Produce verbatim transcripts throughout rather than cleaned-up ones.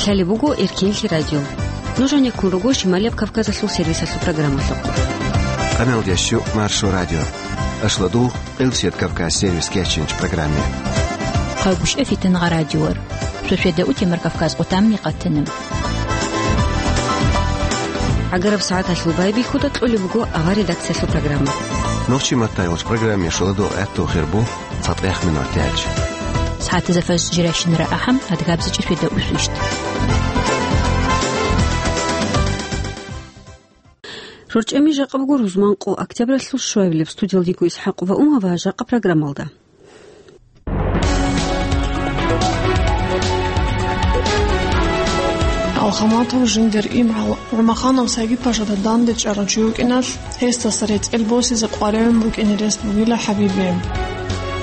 Лъалеб буго Эркенлъи радио. Нуж гьанеккун руго Шималияб Кавказалъул сервисалъул программалъухъ. Къаналдящу Маршо радио. Ашладу Къилсият Кавказ сервис кечинч программе. Хъагушев Фитнагъа радиор. Сосведа утемар Кавказ къутамни къатинаб. ГӀагараб сагӀаталъул байбихьуда кьолеб буго авар редакциялъул программа. Нохчи маттайгъуч программе шуладу гӀатту хирбу цатӀех минутач. СагӀатазда фаж жиращинара ахӀам адгабзичӀи сосведа усвищ. РорчӀами жакъа буго рузман къо октябралъул щуабилеб. Студиялдего ИсхӀакъ ва Умава жакъа программалда. Алхаматов жиндир имгӀал ГӀумаханов Сагид-пашада данде чӀарав чи вукӀиналъ, гьесдаса рецӀел босизе къваригӀун букӀине рес бугила ХӀабибе.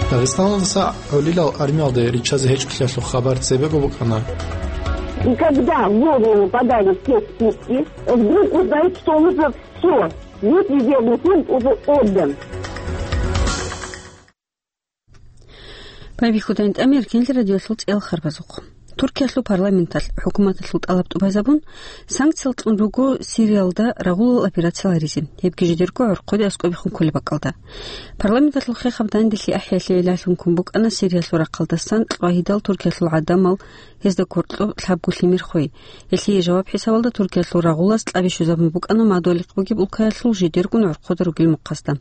Дагъистаналдаса гӀолилал армиялде риччазе гьечӀолъиялъул хабар цебего букӀана. И когда в голову попадают все списки, вдруг узнают, что он уже всё, весь везде уже отдан. Байбихьудайин тӀамир кинлъи радиолъул цӀел харбазухъ. Туркиялъул парламенталъ хӀукуматалъул тӀалаб тӀубазабун, санкциял кьун руго Сириялда рагъулал операцияларизе, гьебги жидерго гӀорхъоде аскӀобехун кколеб бакӀалда. Парламенталъул хехаб данделъи ахӀиялъе гӀилалъун ккун букӀана Сириялъул рахъалдасан кьвагьидал Туркиялъул гӀадамал, гьезда кортӀоб лъабго лъимер хвей. Гьелъие жаваб хӀисабалда Туркиялъул рагъулаз кьаби щвезабун букӀана мадугьалихъ бугеб улкаялъул жидерго гӀорхъода ругел мухъасда.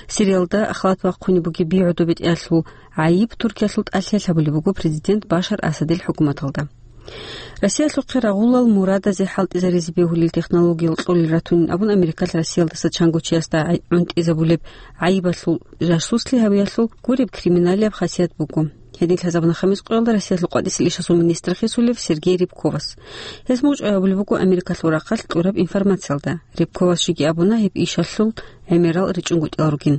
Сириялда халат бахъунеб бугеб би гӀодобетӀиялъул гӀайиб Туркиялъул тӀалъиялъ гьабулеб буго президент Башар Асадил хӀукуматалда. Россиялъухъе рагъулал мурадазе хӀалтӀизаризе бегьулел технологиял кьолел ратунин абун, Америкалъ Россиялдаса чанго чиясда гӀай-, гӀунтӀизабулеб гӀайибалъул жасуслъи гьавиялъул гуреб криминалияб хасият буго. Гьедин лъазабуна хамис къоялда Россиялъул къватӀисел ишазул министр хисулев Сергей Рябковас. Гьес мугъчӀвай абулеб буго Америкалъул рахъалъ кьураб информациялда. Рябковас жеги абуна гьеб ишалъул гӀемерал ричӀунгутӀил ругин.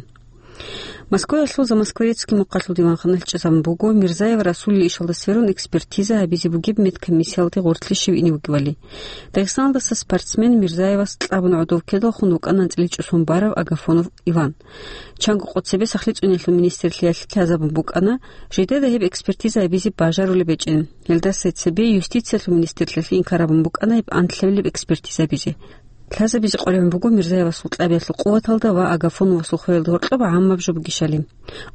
Москваялъул Замоскворецкий мухъалъул диванханалъ чӀезабун буго Мирзаев Расулил ишалда сверун экспертиза гьабизе бугеб медкомиссиялде гъорлъе щив ине вугевали. Дагъистаналдаса спортсмен Мирзаевас кьабун гӀодов ккедалхун вукӀана анцӀила чӀусун барав Агафонов Иван. Чанго къо цебе сахлъи цӀуниялъул министрлъиялъ лъазабун букӀана, жидеда гьеб экспертиза гьабизе бажарулеб гьечӀин. Гьелдаса цебе юстициялъул министрлъиялъ инкар гьабун букӀана гьеб анлъабилеб экспертиза гьабизе. Лъазабизе къваригӀун буго Мирзаевасул кьабиялъул къуваталда ва Агафоновасул хвеялда гьоркьоб гӀаммаб жо бугищали.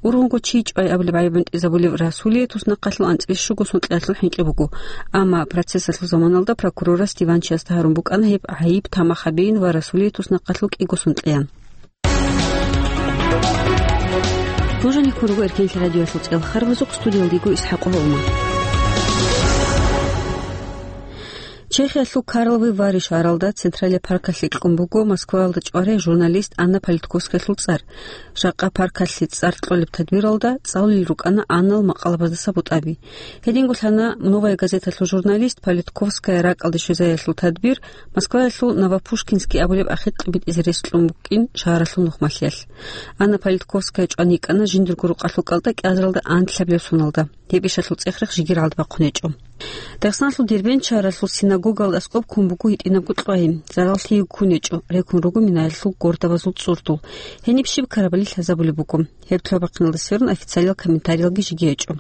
Ургъунго чи чӀвай абулеб гӀайиб гӀунтӀизабулев Расулие туснахъалъул анцӀила щуго сункьиялъул хӀинкъи буго, амма процессалъул заманалда прокурорас диванчиясда гьарун букӀана гьеб гӀайиб тамах гьабейин ва Расулие туснахъалъул кӀиго сункьиян. Нуж гьанеккун руго Эркенлъи радиоялъул цӀел харбазухъ, студиялдего ИсхӀакъ Гьолма. Чехиялъул Карловы Вари шагьаралда Централия паркалъе кьун буго Москваялда чӀварай журналист Анна Политковскаялъул цӀар. Жакъа паркалъе цӀар кьолеб тадбиралда цӀалулел рукӀана Аннал макъалабаздаса бутӀаби. Гьединго лъана «Новая газеталъул» журналист Политковская ракӀалде щвезариялъул тадбир Москваялъул Новопушкинский абулеб ахикь битӀизе рес кьун букӀин шагьаралъул нухмалъиялъ. Анна Политковская чӀван йикӀана жиндирго рукъалъул кӀалтӀа кӀиазаралда анлъабилеб соналда. Гьеб ишалъул цӀехрехъ жигералда бахъун гьечӀо. Дагъистаналъул Дербент шагьаралъул синагогаялда аскӀоб ккун буго гьитӀинабго кьвагьи, зараллъиги ккун гьечӀо, рекун руго минаялъул гордабазул цӀурдул. Гьениб щиб ккарабали лъазабулеб буго. Гьеб лъабахъиналдасерун официалиял комментариялги жеги гьечӀо.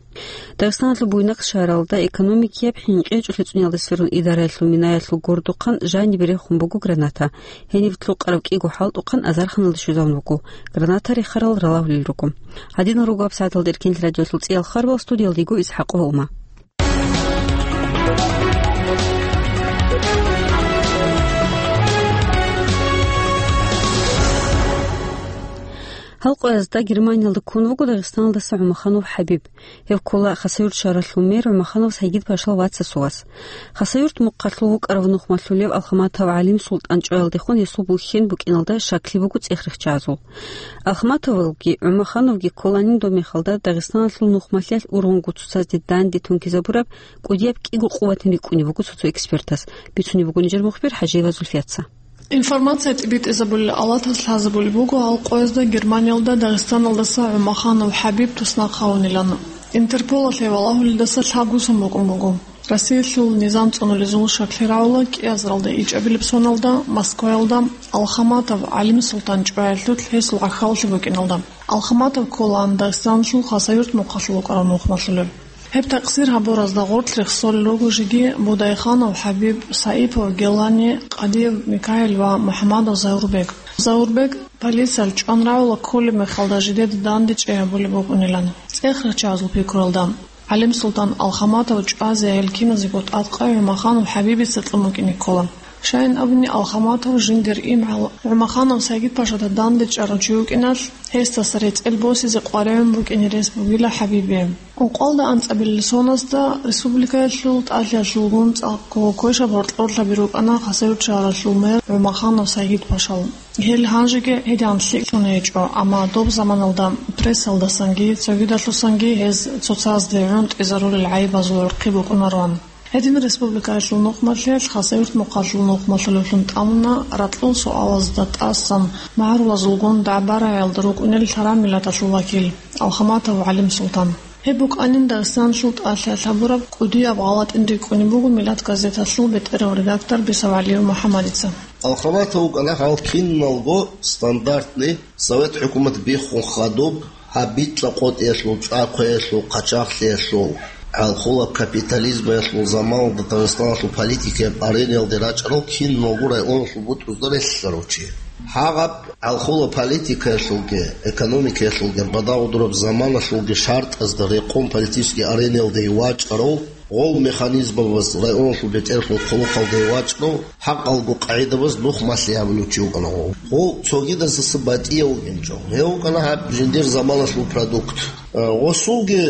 Дагъистаналъул Буйнакск шагьаралда экономикияб хӀинкъи гьечӀолъи цӀуниялдасерун идараялъул минаялъул гордухъан жанибе рехун буго граната. Гьениб лъукъараб кӀиго хӀалтӀухъан азарханалде щвезавун вуго. Граната рехарал ралагьулел руго. Гьадинал руго гьабсагӀаталда Эркенлъи радиоялъул цӀиял харбал, студиялдего ИсхӀакъ Гьолма. Гьал къоязда Германиялда ккун вуго Дагъистаналдаса ГӀумаханов ХӀабиб. Гьев ккола Хасавюрт шагьаралъул мэр ГӀумаханов Сагид-пашал вацасул вас. Хасавюрт мухъалъул вукӀарав нухмалъулев Алхаматов ГӀалим-Султан чӀваялдехун гьесул бухьен букӀиналда щаклъи буго цӀехрехъ чагӀазул. Алхаматовалги ГӀумахановги кколанин доб мехалда Дагъистаналъул нухмалъиялъ ургъунгун цоцазде данде тункизабураб кӀудияб кӀиго къуватин рикӀкӀунеб буго цо-цо экспертас, бицунеб буго нижер мухбир ХӀажиева Зульфияца. Информация тӀибитӀизабулел алатаз лъазабулеб буго гьал къоязда Германиялда Дагъистаналдаса ГӀумаханов ХӀабиб туснахъ гьавунилан. Интерполалъе валагьулелдаса лъабго сон букӀун буго. Россиялъул низам цӀунулезул щаклъи рагӀула кӀиазаралда ичӀабилеб соналда Москваялда Алхаматов ГӀалим-Султан чӀваялъулъ гьесул гӀахьаллъи букӀиналда. Алхаматов кколаан Дагъистаналъул Хасавюрт мухъалъул вукӀарав нухмалъулев. Гьеб такъсир гьабуразда гъоркь рехсолел руго жеги Будайханов ХӀабиб, Саипов Гелани, Къадиев Микаил ва МухӀамадов Заурбек. Заурбек полициялъ чӀван рагӀула кколеб мехалда жидеда данде чӀей гьабулеб букӀунилан. ЦӀех рахчазул пикруялда, ГӀалимсултан Алхаматов чӀвазе гьел киназего тӀадкъай ГӀумаханов ХӀабибица кьун букӀине ккола. Щайин абуни, Алхаматов жиндир имгӀал ГӀумаханов Сагидпашада данде чӀарав чи вукӀиналъ, гьесдаса рецӀел босизе къваригӀун букӀине рес бугила ХӀабибие. Ункъоялда анцӀабилел соназда республикаялъул тӀалъиялъулгун цӀакъго квешаб гьоркьорлъаби рукӀана Хасавюрт шагьаралъул мэр ГӀумаханов Сагидпашал. Гьел гьанжеги гьедигӀан лъикӀлъун гьечӀо, амма доб заманалда прессалдасанги цогидалъусанги гьез цоцазде гӀунтӀизарулел гӀайибазул гӀурхъи букӀунароан. Гьедин республикаялъул нухмалъиялъ, Хасавюрт мухъалъул нухмалъулевлъун тӀамуна ракьул суалазда тӀасан магӀарулазулгун дагӀба-рагӀиялда рукӀунел лъараб миллаталъул вакил Алхаматов ГӀалимсултан. Гьеб букӀанин Дагъистаналъул тӀалъиялъ гьабураб кӀудияб гъалатӀин рикӀкӀунеб буго Миллат газеталъул бетӀерав редактор Бисав ГӀалиев МухӀамадица. Алхаматов вукӀана гьал киналго стандартный Совет хӀукумат биххун хадуб, гьаб битӀа къотӀиялъул, чӀахъуялъул, къачагълъиялъул, гӀалхула капитализмаялъул заманалда Дагъистаналъул политикаяб арениялде рачӀарал киналго районалъул бутӀрузда релълъарав чи. Гьагъаб гӀалхула политикаялъулги, экономикаялъулги, бадагъудураб заманалъулги шартӀазда рекъон политический арениялде вачӀарав, гъол механизмабаз районалъул бетӀерлъун хъулухъалде вачӀарав, хӀакъалго къагӀидабаз нухмалъи гьабулев чи вукӀана гъов. Гъов цогидазаса батӀияв вукӀинчӀо. Гьев вукӀана гьаб жиндир заманалъул продукт. Э, гъосулги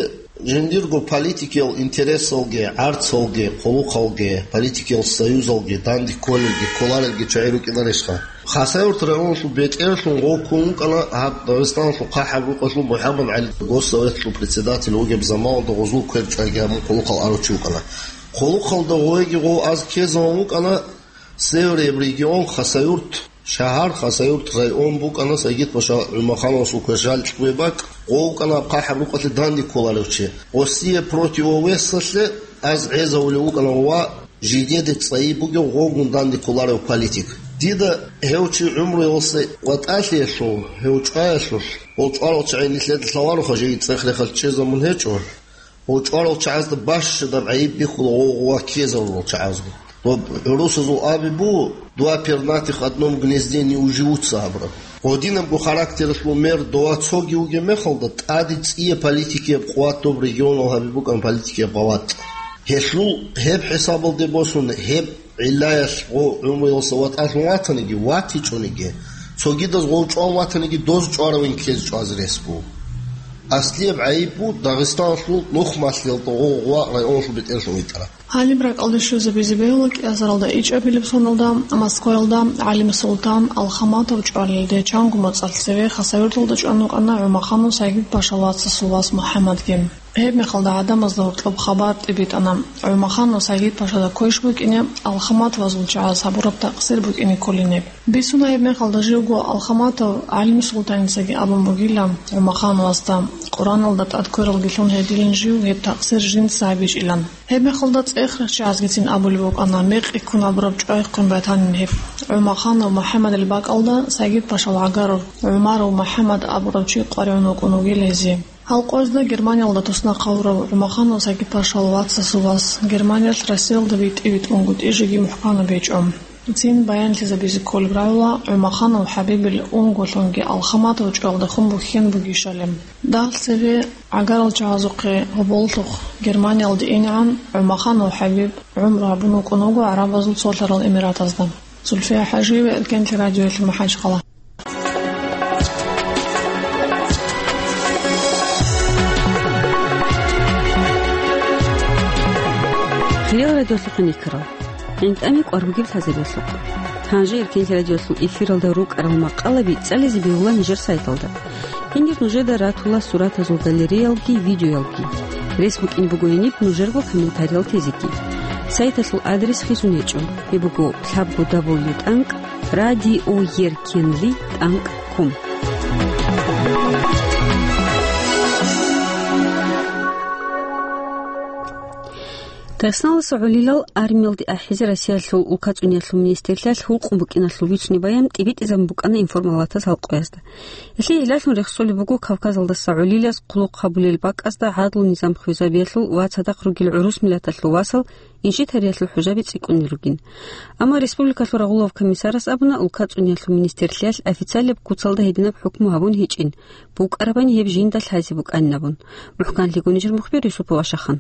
жиндирго политикиял интересалги, гӀарцалги, хъулухъалги, политикиял союзалги данде кколелги, кколарелги чагӀи рукӀинарищха? Хасавюрт районалъул бетӀерлъун гъов ккун вукӀана гьаб Дагъистаналъул хъахӀаб рукъалъул МухӀаммад ГӀали, Госсоветалъул председатель вугеб заманалда гъозул квер чӀвайги гьабун хъулухъал арав чи вукӀана. Хъулухъалда гъовеги гъов аз ккезавун вукӀана, Северияб регион, Хасавюрт шагьар, Хасавюрт район букӀана Сагидпаша ГӀумахановасул квер жалкьуе бакӀ, гъов вукӀана гьаб хъахӀаб рукъалъе данде кколарев чи. Гъосие противовесалъе аз гӀезавулев вукӀана ва жидеде цӀайи бугев гъовгун данде кколарев политик. Дида гьев чи гӀумруялъе ватӀалъиялъул, гьев чӀваялъулъ, гъол чӀварал чагӀи нилъеда лъалароха, жеги цӀех-рехалъ чӀезабун гьечӀо. Гъол чӀварал чагӀазда бащадаб гӀайиб бихьула гъов гъова ккезарурал чагӀазда. Ва гӀурусазул аби буго: «Два пернатых в одном гнезде не уживутся», абураб. Гъодинабго характералъул мер дова цоги вугеб мехалда, тӀаде цӀияб политикияб къуват доб регионал гьаби букӀан политикияб гъаватӀ. Гьелъул гьеб хӀисабалде босун, гьеб гӀиллаялъ гъов гӀумруялъа ватӀалъун ватаниги, ватичӀониги, цогидаз гъов чӀван ватаниги, доз чӀваравин ккезе чӀвазе рес буго. Аслияб гӀайиб буго Дагъистаналъул нухмалъиялда гъов гъова районалъул бетӀерлъун витӀараб. Гьаниб ракӀалде щвезабизе бегьула кӀиазаралда ичӀабилеб соналда Москваялда ГӀалимсултан Алхаматов чӀвалелде чанго моцӀалъ цеве Хасавюрталда чӀван вукӀана ГӀумаханов Сагидпашал вацасул вас МухӀаммадги. Гьеб мехалда гӀадамазда гьоркьоб хабар тӀибитӀана, ГӀумаханов Сагидпашада квеш букӀине Алхаматовазул чагӀаз гьабураб такъсир букӀине кколин гьеб. Бицуна гьеб мехалда живго Алхаматов ГӀалимсултаницаги абун бугила ГӀумахановасда, Къураналда тӀад квералги лъун гьедилин жив гьеб такъсир жинца гьабичӀилан. Гьеб мехалда цӀех рахчазгицин абулеб букӀана, мекъи ккун абураб чӀвайхъин батанин гьеб. ГӀумаханов МухӀаммадил бакӀалда Сагидпашал гӀагарав ГӀумаров МухӀаммад абурав чи къваригӀун вукӀун вугила гьезие. Гьал къоязда Германиялда туснахъ гьавурав ГӀумаханов Сагидпашал вацасул вас Германиялъ Россиялда битӀи-битӀунгутӀи жеги мухӀкана бечӀо. Цин баянлъизабизе кколеб рагӀула ГӀумаханов ХӀабибил унголъунги Алхаматов чӀвалдехун бухьен бугищали. Дагьал цеве гӀагарал чагӀазухъе гьоболлъухъ Германиялде инегӀан ГӀумаханов ХӀабиб гӀумру гьабун вукӀун вуго ГӀарабазул Цолъарал Эмиратазда. Зульфия ХӀажиева, Эркенлъи радиоялъ, МахӀачхъала. Хириял радиолъухъ гӀенеккарал, гӀинтӀаме кӀвар бугеб лъазабиялъухъ. Гьанже Эркенлъи радиолъул эфиралда рукӀарал макъалаби цӀализе бегьула нижер сайталда. Гьенир нужеда ратула суратазул галереялги видеоялги. Рес букӀине буго гьениб нужерго комментариял тезеги. Сайталъул адрес хисун гьечӀо. Гьеб буго лъабго дабл ю тӀанкӀ радиоеркенлъи тӀанкӀ ком. Дагъистаналдаса гӀолилал армиялде ахӀизе Россиялъул улкацӀуниялъул министрлъиялъ гьукъун букӀиналъул бицунеб баян тӀибитӀизабун букӀана информпалатаз гьал къоязда. Гьелъие гьелъун рехсолеб буго Кавказалдаса гӀолилаз хъулухъ гьабулел бакӀазда гӀадлу-низам хвезабиялъул ва цадахъ ругел гӀурус миллаталъул васал инжит гьариялъул хӀужаби цӀикӀкӀунел ругин. Амма республикалъул рагъулав комиссарас абуна, улкацӀуниялъул министрлъиялъ официалияб куцалда гьединаб хӀукму гьабун гьечӀин, букӀарабани гьеб жинда лъазе букӀанин абун. МухӀканлъи гонижер мухбир Юсупов Ашахан.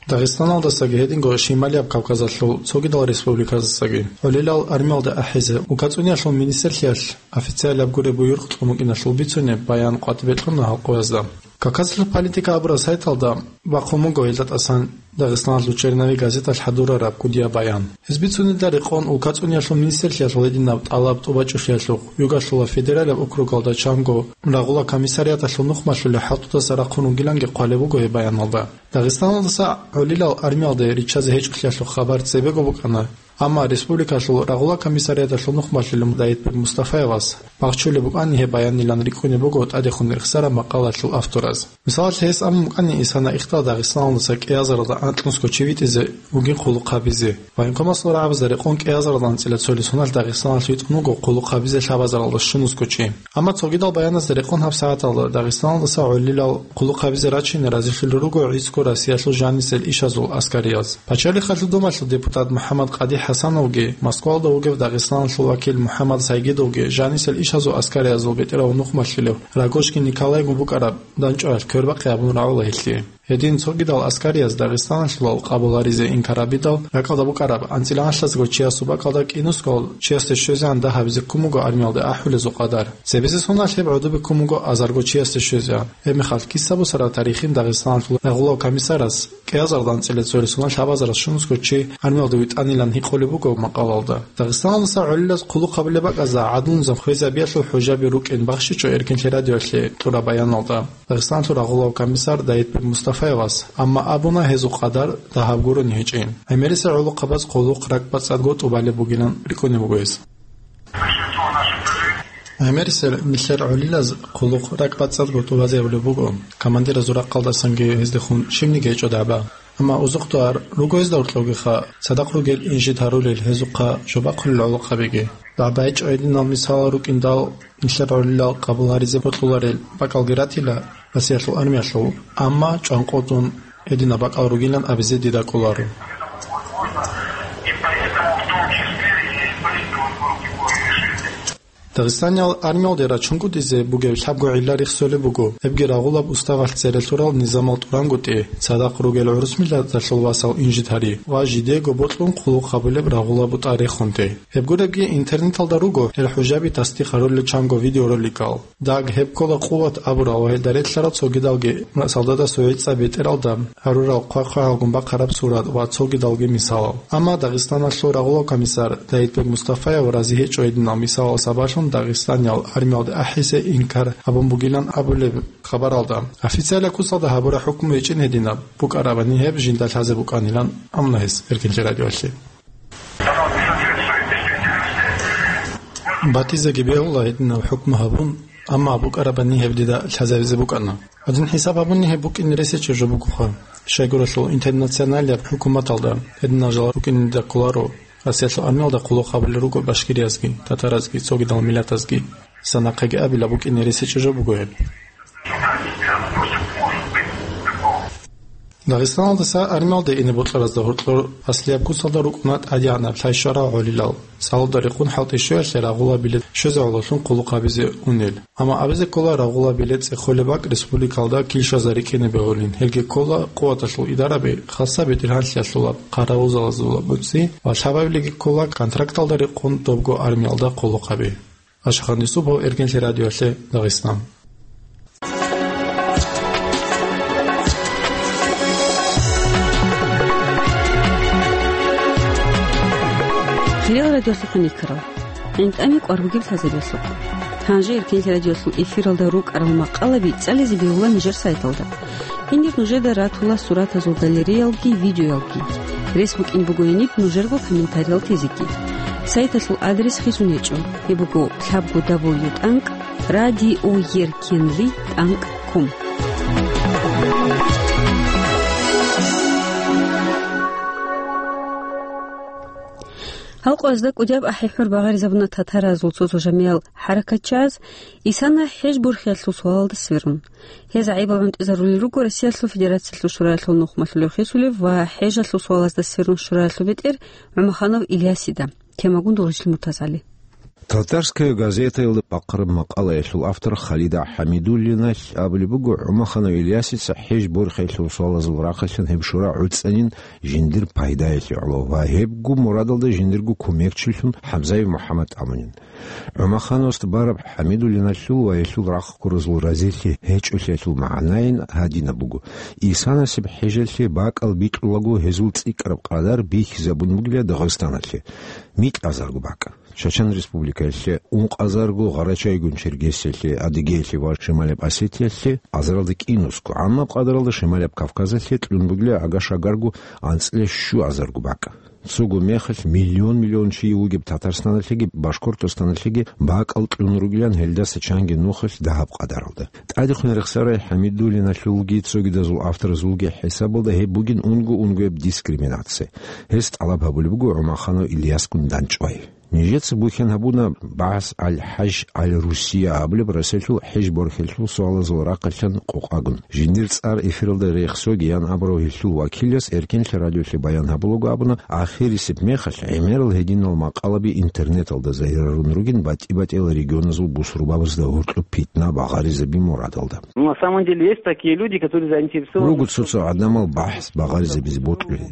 Дагъистаналдасаги гьединго Шималияб Кавказалъул цогидал республиказасаги гӀолилал армиялде ахӀизе улкацӀуниялъул министрлъиялъ официалияб гуреб буюрхъ кьун букӀиналъул бицунеб баян къватӀибе кьуна гьал къоязда. Кавказалъул политика абураб сайталда бахъун буго гьелда тӀасан Дагъистаналъул «Черновик» газеталъ хӀадурараб кӀудияб баян. Гьез бицунелда рекъон, улкацӀуниялъул министрлъиялъул гьединаб тӀалаб тӀубачӀулъиялъухъ, югалъула федералияб округалда чанго рагъула комиссариаталъул нухмалъулел хӀалтӀудаса рахъун вугиланги хъвалеб буго гьеб баяналда. Дагъистаналдаса гӀолилал армиялде риччазе гьечӀолъиялъул хабар цебего букӀана, амма республикалъул рагъула комиссариаталъул нухмалъулев Давитбек Мустафаевас бахчулеб букӀани гьеб баянилан рикӀкӀунеб буго тӀадехун рехсараб макъалалъул автораз. Мисалалъе, гьес абун букӀани, исана ихтала Дагъистаналдаса кӀиазаралда анкьнусго чи витӀизе вугин хъулухъ гьабизе. Военкомасул рагӀабазда рекъон кӀиазаралда анцӀила цолесуналъ Дагъистаналъ витӀун вуго хъулухъ гьабизе лъабазаралда щунусго чи. Амма цогидал баяназда рекъон гьабсагӀаталда Дагъистаналдаса гӀолилал хъулухъ гьабизе рачине разилъулел руго гӀицӀго Россиялъул жанисел ишазул аскарияз. Пачалихъалъул Думалъул депутат МухӀаммад Къади ХӀасановги, Москвалда вугев Дагъистаналъул вакил МухӀаммад Сайгидовги жанисел ишазул аскариязул бетӀерав нухмалъулев Рогожкин Николайгун букӀараб дандчӀваялъ квербахъи абун рагӀула гьелъие. Гьедин цогидал аскарияз Дагъистаналъулал къабул гьаризе инкар гьабидал, ракӀалда букӀараб анцӀила гӀалъазго чиясул бакӀалда кӀинусго чиясде щвезегӀан дагь гьабизе ккун буго армиялде ахӀулезул къадар. Цебесеб соналъ гьеб гӀодобе ккун буго азарго чиясде щвезегӀан. Гьеб мехалъ киса бусараб тарихин Дагъистаналъул рагъулав комиссарас кӀиазаралда анцӀила цолесуналъ лъабазаралда щунусго чи армиялде витӀанилан гьикъулеб буго макъалалда. Дагъистаналдаса гӀолилаз хъулухъ гьабулеб бакӀазда гӀадлу-низам хвезабиялъул хӀужаби рукӀин бахщичӀо Эркин лъерадиоялъе кьураб баяналда Дагъистаналъул рагъулав комиссар Давитбек Мустафаевас, амма абуна гьезул къадар дагьаб гурони гьечӀин. ГӀемерисел гӀолохъабаз хъулухъ ракӀбацӀцӀадго тӀубалеб бугилан рикӀкӀунеб буго гьес. ГӀемерисел нилъер гӀолилаз хъулухъ ракӀбацӀцӀадго тӀубазе гьабулеб буго, командиразул рахъалдасанги гьездехун щибниги гьечӀо дагӀба. Амма узухъдугӀар руго гьезда гьоркьогиха, цадахъ ругел инжит гьарулел, гьезухъа жо бахъулел гӀолохъабиги. ДагӀба гьечӀо гьединал мисалал рукӀиндал, нилъер гӀолилал къабул гьаризе бокьуларел бакӀалги ратила Россиялъул армиялъул, амма чӀванкъотӀун гьединаб бакӀал ругилан абизе дида кӀоларо. Дагъистаниял армиялде рачунгутӀизе бугеб лъабго гӀилла рехсолеб буго, гьебги рагъулаб уставалъ цере лъурал низамал тӀурангутӀи, цадахъ ругел гӀурус миллаталъул васал инжит гьари ва жидего бокьун хъулухъ гьабулеб рагъулаб бутӀа рехунти. Гьеб гуребги интернеталда руго гьел хӀужаби тасдикъ гьарулел чанго видеороликал. Даг гьеб ккола къуват абурал ва гьелда релълъарал цогидалги солдадасул гӀицӀаб бетӀералда гьарурал хъвай-хъвагӀалгун бахъараб сурат ва цогидалги мисалал. Амма Дагъистаналъул рагъулав комиссар Давитбек Мустафаев рази гьечӀо гьединал мисалал сабаблъун Дагъистаниял армиялде ахӀизе инкар гьабун бугилан абулеб хабаралда. Официалияб куцалда гьабураб хӀукму гьечӀин гьединаб, букӀарабани гьеб жинда лъазе букӀанилан абуна гьес Эркинлъи радиоялъе. Батизеги бегьула гьединаб хӀукму гьабун, амма букӀарабани гьеб дида лъазабизе букӀана. Гьадин хӀисаб гьабуни гьеб букӀине ресечӀеб жо бугоха. Щайгурелъул интернационалияб хӀукуматалда гьединал жал букӀине дида кколаро, Россиялъул армиялда хъулухъ гьабулел руго башкириязги, татаразги, цогидал миллатазги. Санахъеги абила букӀине ресечӀеб жо буго гьеб. Дагъистаналдаса армиялде ине бокьаразда гьоркьор аслияб куцалда рукӀуна тӀадегӀанаб лъай щварал гӀолилал. Салуда рекъон хӀалтӀи щуялъе рагъула билет щвезе гӀололъун хъулухъ гьабизе унел. Амма абизе ккола рагъула билет цӀехолеб бакӀ республикалда килщазе рикӀкӀине бегьулин. Гьелги ккола къуваталъул идараби, хасаб бетӀергьанлъиялъулаб хъаравулзабазул буцӀцӀи ва лъабабилеги ккола контракталда рекъон добго армиялда хъулухъаби. Ашахан Юсупов, Эркинлъи радиоялъе, Дагъистан. Хириял радиолъухъ никарал, гӀинтӀами кӀвар бугеб лъазабиялъухъ. Гьанже Эркинлъи радиоялъул эфиралда рукӀарал макъалаби цӀализе бегьула нижер сайталда. Гьенир нужеда ратула суратазул галереялги видеоялги. Рес букӀин буго гьениб нужерго комментариял тезеги. Сайталъул адрес хисун гьечӀо. Гьеб буго лъабго дабл ю тӀанкӀ радиоеркинли тӀанкӀ ком. Гьал къоязда кӀудияб ахӀи-хӀур багъаризабуна татаразул цо-цо жамигӀал хӀаракатчияз Исана хӀеж борхиялъул суалалда сверун. Гьез гӀайибал гӀунтӀизарулел руго Россиялъул Федерациялъул Шураялъул нухмалъулев хисулев ва хӀежалъул суалазда сверун Шураялъул бетӀер ГӀумаханов Ильясида. Темагун Дугъричлъи Муртазали. Татарская газетаялда бахъараб макъалаялъул автор Халида ХӀамидуллиналъ абулеб буго, ГӀумаханов Ильясица хӀеж борхиялъул суалазул рахъалъан гьеб шура гӀуцӀанин жиндир пайдаялъе гӀоло ва гьебго мурадалда жиндирго кумекчилъун Хабзаев МухӀаммад абунин. ГӀумахановасда бараб ХӀамидуллиналъул ва гьелъул рахъ ккуразул разилъи гьечӀолъиялъул магӀнайин гьадинаб буго: Исанасеб хӀежалъе бакӀал бикьулаго гьезул цӀикӀкӀараб къадар бихьизабун бугила Дагъистаналъе микӀ азарго бакӀ, Чачан Республикаялъе ункъазарго, Гъарачайгун Чергесиялъе, Адыгеялъе ва Шималаб Осетиялъе азаралда кӀинусго, гӀаммаб къадаралда Шималаб Кавказалъе кьун бугила агашагарго анцӀила щуазарго бакӀ. Цого мехалъ миллион-миллион чи вугеб Татарстаналъеги Башкортостаналъеги бакӀал кьун ругилан гьелдаса чанги нухалъ дагьаб къадаралда. ТӀадехун рехсарай ХӀамидуллиналъулги цогидазул авторазулги хӀисабалда гьеб бугин унго-унгояб дискриминация. Гьес тӀалаб гьабулеб буго ГӀумаханов Ильясгун дандчӀвай. Нижеца бухьен гьабуна БагӀас аль-ХӀаж аль-Русия абулеб Россиялъул хӀеж борхиялъул суалазул рахъалъан къокъагун. Жиндир цӀар эфиралда рехсогиян абурав гьелъул вакилас Эркенлъи радиолъе баян гьабулаго абуна, ахирисеб мехалъ гӀемерал гьединал макъалаби интернеталда загьирарун ругин батӀи-батӀиял регионазул бусурбабазда гьоркьоб питна багъаризаби мурадалда. Ну, на самом деле, есть такие люди, которые заинтересованы. Руго цо-цо гӀадамал бахӀс багъаризабизе бокьулел.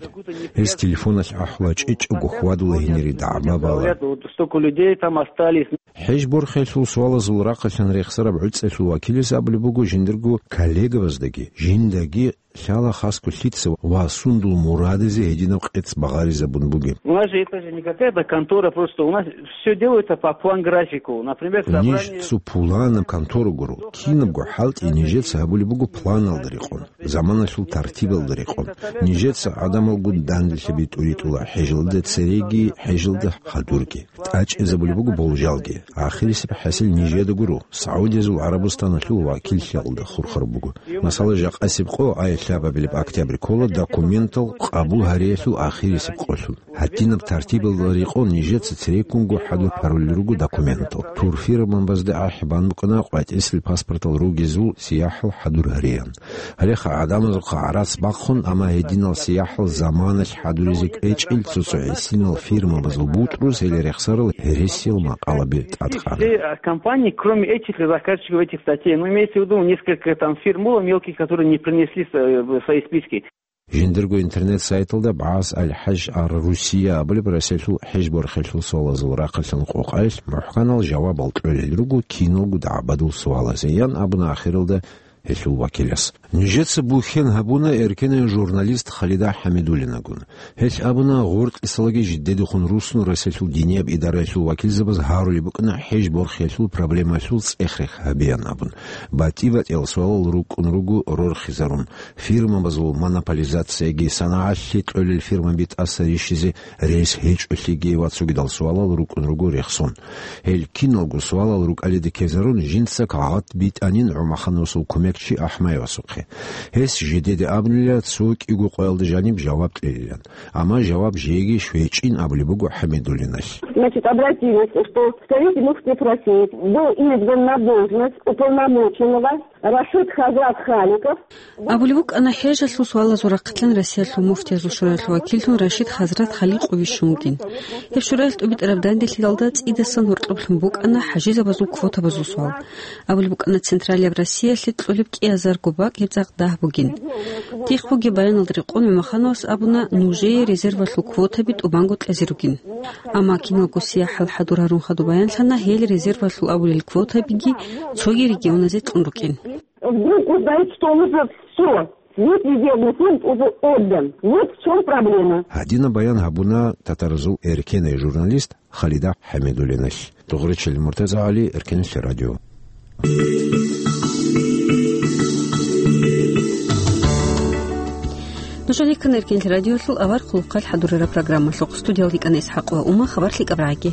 Гьез телефоналъ ахӀула чӀечӀого хьвадула гьенире дагӀба бала. Говорят, вот столько людей там остались. ХӀеж борхиялъул суалазул рахъалъан рехсараб гӀуцӀалъул вакилас абулеб буго жиндирго коллегабаздаги, жиндаги лъала хасго лъица ва сундул мурадизе гьединаб къец багъаризабун бугеб. У нас же это же не какая-то контора, просто у нас всё делается по план-графику. Например, ниж собрание цо пуланаб контора гуро, кинабго хӀалтӀи нижеца гьабулеб буго планалда рекъон, заманалъул тартибалда рекъон. Нижеца гӀадамалгун данделъаби тӀуритӀула хӀежалда цереги, хӀежалда хадурги. ТӀачӀизабулеб буго болжалги. Ахирисеб хӀасил нижеда гуро, Саудиязул ГӀарабустаналъул вакиллъиялда хурхараб буго. Масала, жакъасеб къо, ай лъабабилеб октябрь ккола документал къабул гьариялъул ахирисеб къолъун. Гьадинаб тартибалда рекъон нижеца цереккунго хӀадур гьарулел руго документал. Турфирмабазда ахӀи бан букӀана къватӀисел паспортал ругезул сияхӀал хӀадур гьариян. Гьалеха гӀадамазухъа гӀарац бахъун, амма гьединал сияхӀал заманалъ хӀадуризе кӀвечӀел цо-цо гӀисинал фирмабазул бутӀруз гьел рехсарал гьересиял макъалаби тӀадкъана. Все, а, компании, кроме этих заказчиков этих статей, ну, имеется в виду несколько там фирм было мелких, которые не принесли с-, э, в свои списки. Жиндирго интернет-сайталда БагӀас аль-ХӀаж ар-Русия абулеб Россиялъул хӀеж борхиялъул суалазул рахъалъан къокъаялъ мухӀканал жавабал кьолел руго киналго дагӀбадул суалазе, ян абуна ахиралда гьелъул вакилас. Нижеца бухьен гьабуна эркенай журналист Халида ХӀамидуллинагун. Гьелъ абуна, гъоркьисалаги жиддедехун руссун Россиялъул динияб идараялъул вакилзабаз гьарулеб букӀана хӀеж борхиялъул проблемаялъул цӀех-рех гьабеян абун. БатӀи-батӀиял суалал рукӀун руго рорхизарун. Фирмабазул монополизацияги, санагӀалъе кьолел фирмаби тӀаса рищизе рес гьечӀолъиги ва цогидал суалал рукӀун руго рехсон. Гьел киналго суалал рукӀалиде ккезарун, жинца кагъат битӀанин ГӀумахановасул кумекчи АхӀмаевасухъе. Гьес жидеде абунила цо кӀиго къоялда жаниб жаваб кьелилан. Амма жаваб жеги щвечӀин абулеб буго ХӀамидуллиналъ. Значит, обратились, что представитель муфтиев России был избран на должность уполномоченного Рашид Хазрат Халиков. Абулеб букӀана, хӀежалъул суалазул рахъалъан Россиялъул муфтиязул шураялъул вакиллъун Рашид Хазрат Халикъов вищун вугин. Гьеб шураялъ тӀубитӀараб данделъидалда цӀидасан гьоркьоблъун букӀана хӀажизабазул квотабазул суал. Абулеб букӀана, Централияб Россиялъе кьолеб кӀиазарго бакӀ гьеб цӀакъ дагь бугин. Дихъ бугеб баяналда рекъон ГӀумахановас абуна, нужее резервалъул квотаби тӀубанго кьезе ругин. Амма киналго сияхӀал хӀадур гьарун хадуб баянлъана, гьел резервалъул абулел квотабиги цоги регионазе кьун рукӀин. Вдруг узнают, что уже всё, весь резервный фонд уже отдан. Вот в чём проблема. Гьадинаб баян гьабуна татаразул эркенай журналист Халида ХӀамидуллиналъ. Дугъричил Муртазагьали, Эркенлъи радио. Нуж гьанеккана Эркенлъи радиолъул авар хъулухъалъ хӀадурараб программалъухъ. Студиялда йикӀана ИсхӀакъова Ума, хабар лъикӀаб рагӀаги.